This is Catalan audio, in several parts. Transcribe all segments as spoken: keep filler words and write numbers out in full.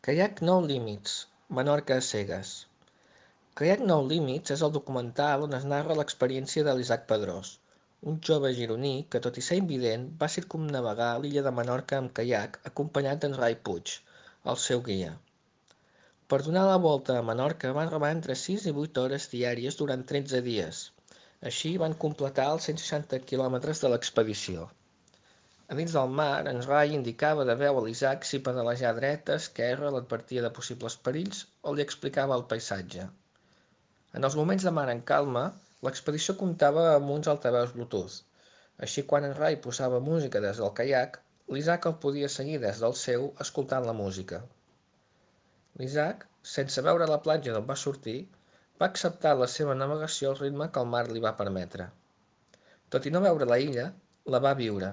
Kayak No Limits, Menorca a cegues. Kayak No Limits és el documental on es narra l'experiència de l'Isaac Pedrós, un jove gironí que, tot i ser invident, va circumnavegar l'illa de Menorca amb caiac acompanyat d'en Rai Puig, el seu guia. Per donar la volta a Menorca van remar entre sis i vuit hores diàries durant tretze dies. Així van completar els cent seixanta quilòmetres de l'expedició. A dins del mar, en Rai indicava de veu a l'Isaac si pedalejar dreta, esquerra, l'advertia de possibles perills o li explicava el paisatge. En els moments de mar en calma, l'expedició comptava amb uns altaveus Bluetooth. Així, quan en Rai posava música des del caiac, l'Isaac el podia seguir des del seu escoltant la música. L'Isaac, sense veure la platja d'on va sortir, va acceptar la seva navegació al ritme que el mar li va permetre. Tot i no veure la illa, la va viure,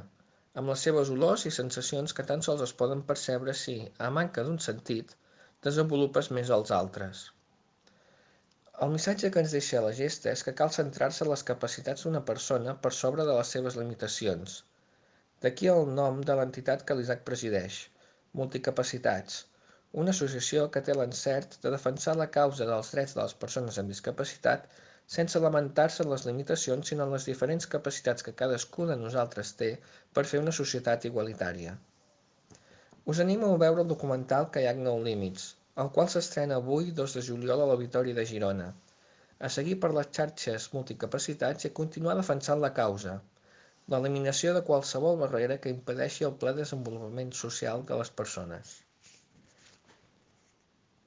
amb les seves olors i sensacions que tan sols es poden percebre si, a manca d'un sentit, desenvolupes més els altres. El missatge que ens deixa la gesta és que cal centrar-se en les capacitats d'una persona per sobre de les seves limitacions. D'aquí el nom de l'entitat que l'Isaac presideix, Multicapacitats, una associació que té l'encert de defensar la causa dels drets de les persones amb discapacitat sense lamentar-se en les limitacions sinó en les diferents capacitats que cadascú de nosaltres té per fer una societat igualitària. Us animo a veure el documental Kayak No Limits, el qual s'estrena avui, dos de juliol, a l'Auditori de Girona, a seguir per les xarxes Multicapacitats i a continuar defensant la causa, l'eliminació de qualsevol barrera que impedeixi el ple desenvolupament social de les persones.